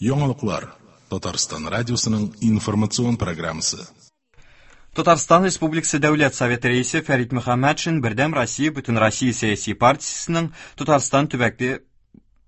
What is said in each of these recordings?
Яңалыклар. Татарстан радиосының информацион программасы. Татарстан Республикасы Дәүләт Советы рәисе Фәрит Мөхәммәтшин Бердәм Россия Бөтенроссия сәяси партиясенең Татарстан төбәкле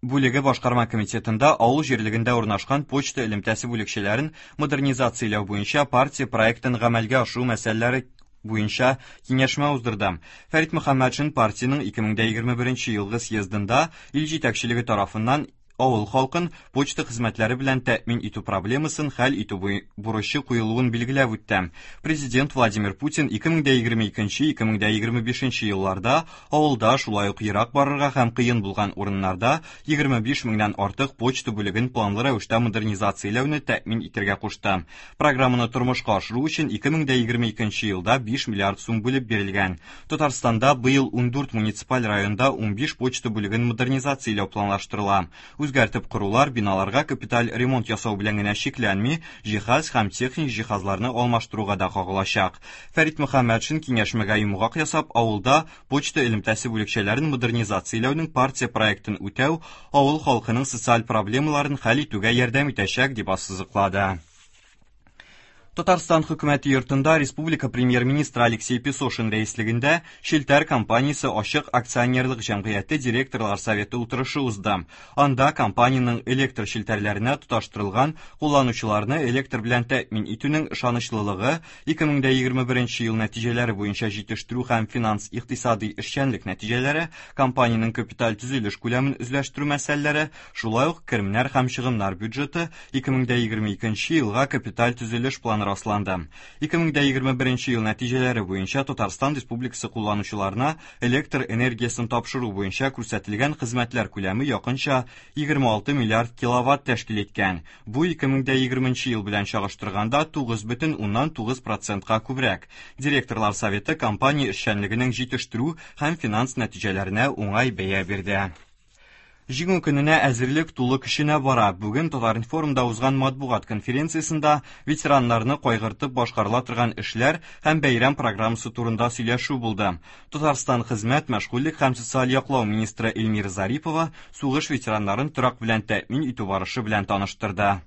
бүлеге башкарма комитетында авыл җирлегендә урнашкан почта элемтәсе бүлекчәләрен модернизацияләү буенча партия проектын гамәлгә ашыру мәсьәләләре буенча киңәшмә уздырды. Фәрит Мөхәммәтшин партиянең 2021 елгы съездында ил җитәкчелеге тарафыннан авыл халкын почта хезмәтләре белән тәэмин итү проблемасын хәл итү бурычы куелуын билгеләп үтте. Президент Владимир Путин 2022-2025 елларда авылда, шулай ук ерак барырга һәм кыен булган урыннарда 25 меңнән артык почта бүлеген планлы рәвештә модернизацияләүне тәэмин итәргә кушты. Программаны тормышка ашыру өчен 2022 елда 5 миллиард сум бүлеп бирелгән. Татарстанда быел 14 муниципаль районда 15 почта бүлеген модернизацияләү планлаштырыла. Үзгәртеп корулар биналарга капиталь ремонт ясау белән генә чикләнми, җиһаз һәм техник җиһазларны алмаштыруга да кагылачак. Фәрит Мөхәммәтшин киңәшмәгә йомгак ясап, авылда почта элемтәсе бүлекчәләрен модернизацияләүнең партия проектын үтәү авыл халкының социаль проблемаларын хәл итүгә ярдәм итәчәк, дип ассызыклады. Татарстан хөкүмәте йортында республика премьер-министры Алексей Песошин рәислегендә Челтәр компаниясе ачык акционерлык җәмгыяте директорлар советы утырышы узды. Анда компаниянең электр челтәрләренә тоташтырылган кулланучыларны электр белән тәэмин итүнең ышанычлылыгы, 2021 ел нәтиҗәләре буенча җитештерү һәм финанс-икътисадый эшчәнлек нәтиҗәләре, компаниянең капиталь төзелеш күләмен үзләштерү мәсьәләләре, шулай ук керемнәр һәм чыгымнар бюджеты 2022 елга капиталь төзелеш планы расланды. 2021 ел нәтиҗәләре буенча Татарстан Республикасы кулланучыларына электр энергиясен тапшыру буенча күрсәтелгән хезмәтләр күләме якынча 26 миллиард киловатт тәшкил иткән. Бу 2020 ел белән чагыштырганда 9,9%-ка күбрәк. Директорлар советы компания эшчәнлегенең җитештерү һәм финанс нәтиҗәләренә уңай бәя бирде. Җиңү көненә әзерлек тулы көченә бара. Бүген Татар-информда узган матбугат конференциясендә ветераннарны кайгыртып башкарыла торган эшләр һәм бәйрәм программасы турында сөйләшү булды. Татарстан хезмәт, мәшгульлек һәм социаль яклау министры Эльмира Зарипова сугыш ветераннарын торак белән тәэмин итү барышы белән таныштырды.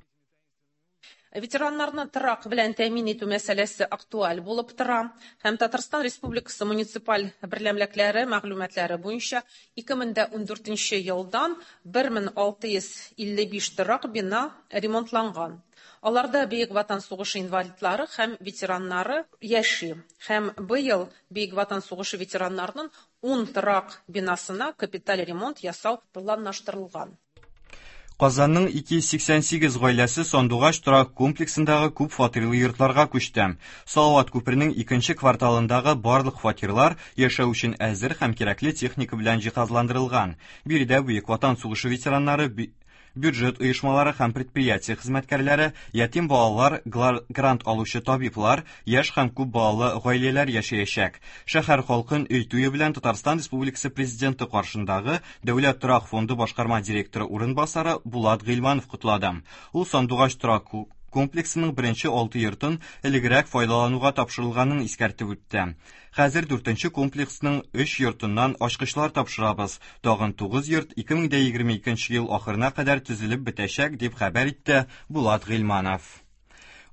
Ветераннарны торак белән тәэмин итү мәсьәләсе актуаль булып тора һәм Татарстан Республикасы муниципаль берәмлекләре мәгълүматлары буенча 2014 елдан 1655 торак бина ремонтланган. Аларда Бөек Ватан сугышы инвалидлары һәм ветераннары яши. Һәм быел Бөек Ватан сугышы ветераннарының 10 торак бинасына капиталь ремонт ясау планлаштырылган. Казанның 288 гаиләсе Сандугач торак комплексындагы күп фатирлы йортларга күчте. Салават күперенең икенче кварталындагы барлык фатирлар яшәү өчен әзер һәм кирәкле техника белән җиһазландырылган. Биредә Бөек Ватан сугышы ветераннары, бюджет оешмалары һәм предприятие хезмәткәрләре, ятим балалар, грант алучы табиблар, яшь һәм күп балалы гаиләләр яшәячәк. Шәһәр халкын өй туе белән Татарстан Республикасы Президенты каршындагы Дәүләт торак фонды башкарма директоры урынбасары Булат Гыйльманов котлады. Ул Сандугач торак комплексының беренче 6 йортын элегрәк файдалануга тапшырылганын искәртеп үтте. Хәзер 4нче комплексның 3 йортыннан ачкычлар тапшырабыз. Тагын 9 йорт 2022 ел ахырына кадәр төзелеп бетәчәк, дип хәбәр итте Булат Гыйльманов.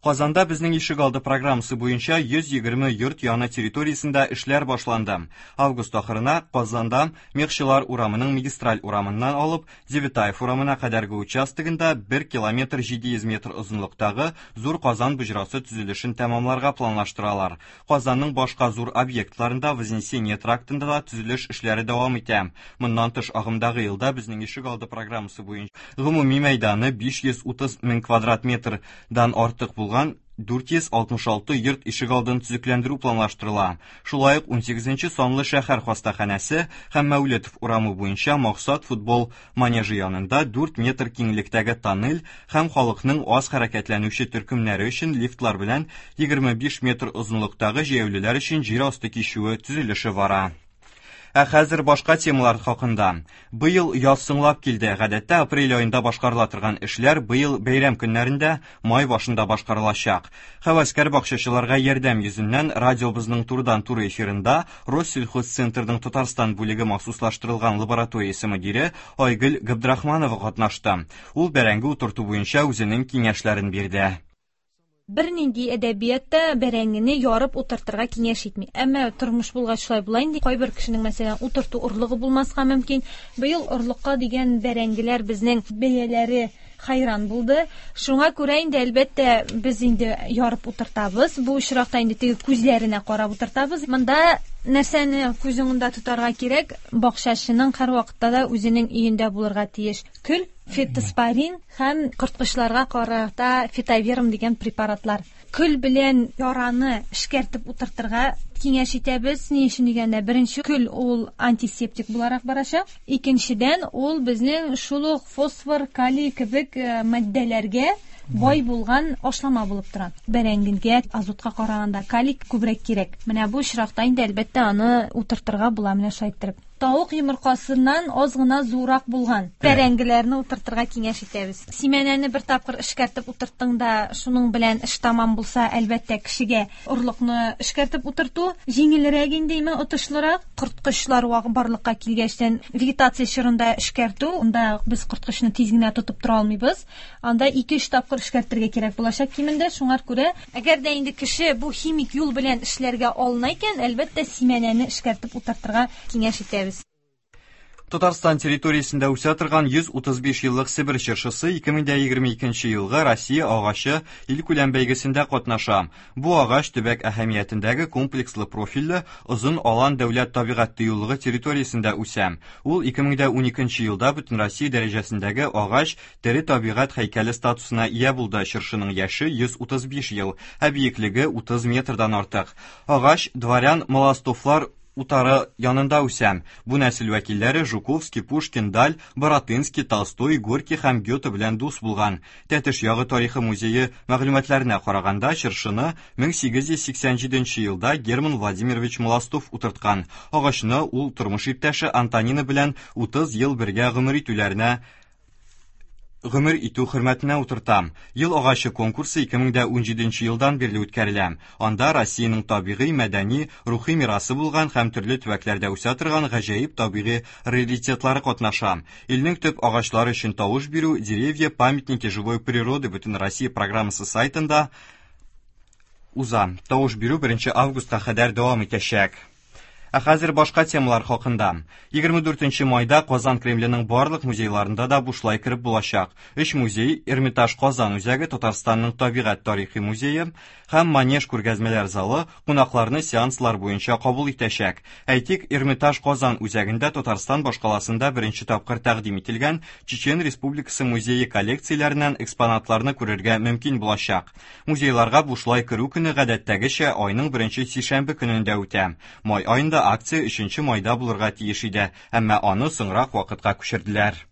Казанда безнең ишегалды программасы буенча 120 йорт яны территориясендә эшләр башланды. Август ахырына Казанда Мехчылар урамының магистраль урамыннан алып Девятаев урамына кадәрге участогында 1 километр 700 метр озынлыктагы Зур Казан боҗрасы төзелешен тәмамларга планлаштыралар. Казанның башка зур объектларында Вознесение трактында да төзелеш эшләре дәвам итә. Моннан тыш агымдагы елда безнең ишегалды программасы буенча гомуми мәйданы 530 мең квадрат метрдан артык булган 466 йорт ишегалдын төзекләндерү планлаштырыла. Шулай ук 18 санлы шәһәр хастаханәсе һәм Мәүлетов урамы буенча Максат футбол манежы янында 4 метр киңлектәге тоннель һәм халыкның аз хәрәкәтләнүче төркемнәре өчен лифтлар белән 25 метр озынлыктагы җәяүлеләр өчен җир асты кичүе төзелеше бара. Ә хәзер башка темалар хакында. Быел яз соңлап килде. Гадәттә апрель аенда башкарыла торган эшләр быел бәйрәм көннәрендә, май башында башкарылачак. Һәвәскәр бакчачыларга ярдәм йөзеннән радиобызның турыдан-туры эфирында Россельхозцентрның Татарстан бүлеге махсуслаштырылган лабораториясе мөдире Айгөл Габдрахманова катнашты. Ул бәрәңге утырту буенча үзенең киңәшләрен бирде. Бернинди әдәбият та бәрәңгене ярып утыртырга киңәш итми. Әмма тормыш булгач шулай була инде. Кайбер кешенең, мәсәлән, утырту орлыгы булмаска мөмкин. Быел орлыкка дигән бәрәңгеләр безнең бәяләре хайран булды. Шуңа күрә инде, әлбәттә, без инде ярып утыртабыз. Бу очракта инде теге күзләренә карап утыртабыз. Монда нәрсәне күз уңында тотарга кирәк? Бакчачының һәрвакытта да үзенең өендә булырга тиеш көл, фитоспорин һәм корткычларга карата фитоверм дигән препаратлар. Көл белән яраны эшкәртеп утыртырга киңәш итәбез. Ни өчен дигәндә, беренче көл ул антисептик буларак барачак. Икенчедән, ул безнең шул ук фосфор, калий кебек матдәләргә бай булган ашлама булып тора. Бәрәңгегә азотка караганда калий күбрәк кирәк. Менә бу очракта инде, әлбәттә, аны утыртырга була менә шулай иттереп. Тавык йомыркасыннан аз гына зуррак булган бәрәңгеләрне утыртырга киңәш итәбез. Симәнәне бер тапкыр эшкәртеп утырттың да, шуның белән эш тамам булса, әлбәттә, кешегә орлыкны эшкәртеп утырту җиңелрәк инде, име отышлырак. Корткычлар барлыкка килгәчтән вегетация чорында эшкәртү, анда без корткычны тиз генә тотып тора алмыйбыз. Анда 2-3 тапкыр эшкәртергә кирәк булачак кимендә. Шуңар күрә, әгәр дә инде кеше бу химик юл белән эшләргә алына икән, әлбәттә, симәнәне эшкәртеп утыртырга киңәш итәбез. Татарстан территориясендә үсә торган 135 еллык Себер чыршысы 2022 елгы Россия агачы илкүләм бәйгесендә катнаша. Бу агач төбәк әһәмиятендәге комплекслы профильле Озын Алан дәүләт табигать тыюлыгы территориясендә үсә. Ул 2012 елда Бөтенроссия дәрәҗәсендәге агач тере табигать һәйкәле статусына ия булды. Чыршының яше 135 ел, ә биеклеге 30 метрдан артык. Агач дворян Молостовлар утары янында үсә. Бу нәсел вәкилләре Жуковский, Пушкин, Даль, Баратынский, Толстой, Горький һәм Гёте белән дус булган. Тәтеш ягы тарихы музее мәгълүматларына караганда, чыршыны 1887 елда Герман Владимирович Молостов утырткан. Агачны ул тормыш иптәше Антонина белән 30 ел бергә гомер итүләренә гомер итү хөрмәтенә утырта. Ел агачы конкурсы 2017 елдан бирле үткәрелә. Анда Россиянең табигый, мәдәни, рухи мирасы булган һәм төрле төбәкләрдә үсә торган гаҗәеп табигый раритетлары катнаша. Илнең төп агачлары өчен тавыш бирү «Деревья, памятники живой природы» Бөтенроссия программасы сайтында уза. Тавыш бирү 1 августка кадәр дәвам итәчәк. Ә хәзер башка темалар хакында. 24 майда Казан Кремленең барлык музейларында да бушлай кереп булачак. Өч музей Эрмитаж Казан үзәге, Татарстанның табигать тарихи музее һәм Манеж күргәзмәләр залы кунакларны сеанслар буенча кабул итәчәк. Әйтик, Эрмитаж Казан үзәгендә Татарстан башкаласында беренче тапкыр тәкъдим ителгән Чечен Республикасы музее коллекцияләреннән экспонатларны күрергә мөмкин булачак. Музейларга бушлай керү көне гадәттәгечә айның беренче сишәмбе көнендә үтә. Май аенда акция 3 майда булырга тиеш иде, әмма аны соңрак вакытка күчерделәр.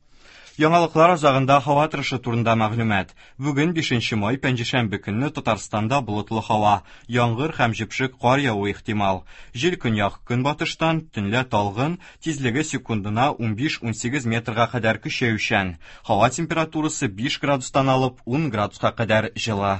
Яңалыклар азагында һава торышы турында мәгълүмат. Бүген 5 май пәнҗешәмбе көнне Татарстанда болытлы һава, яңгыр һәм җепшек кар явуы ихтимал. Җил көньяк көнбатыштан, төнлә талгын, тизлеге секундына 15-18 метрга кадәр көчәючән. Һава температурасы 5 градустан алып 10 градуска кадәр җылы.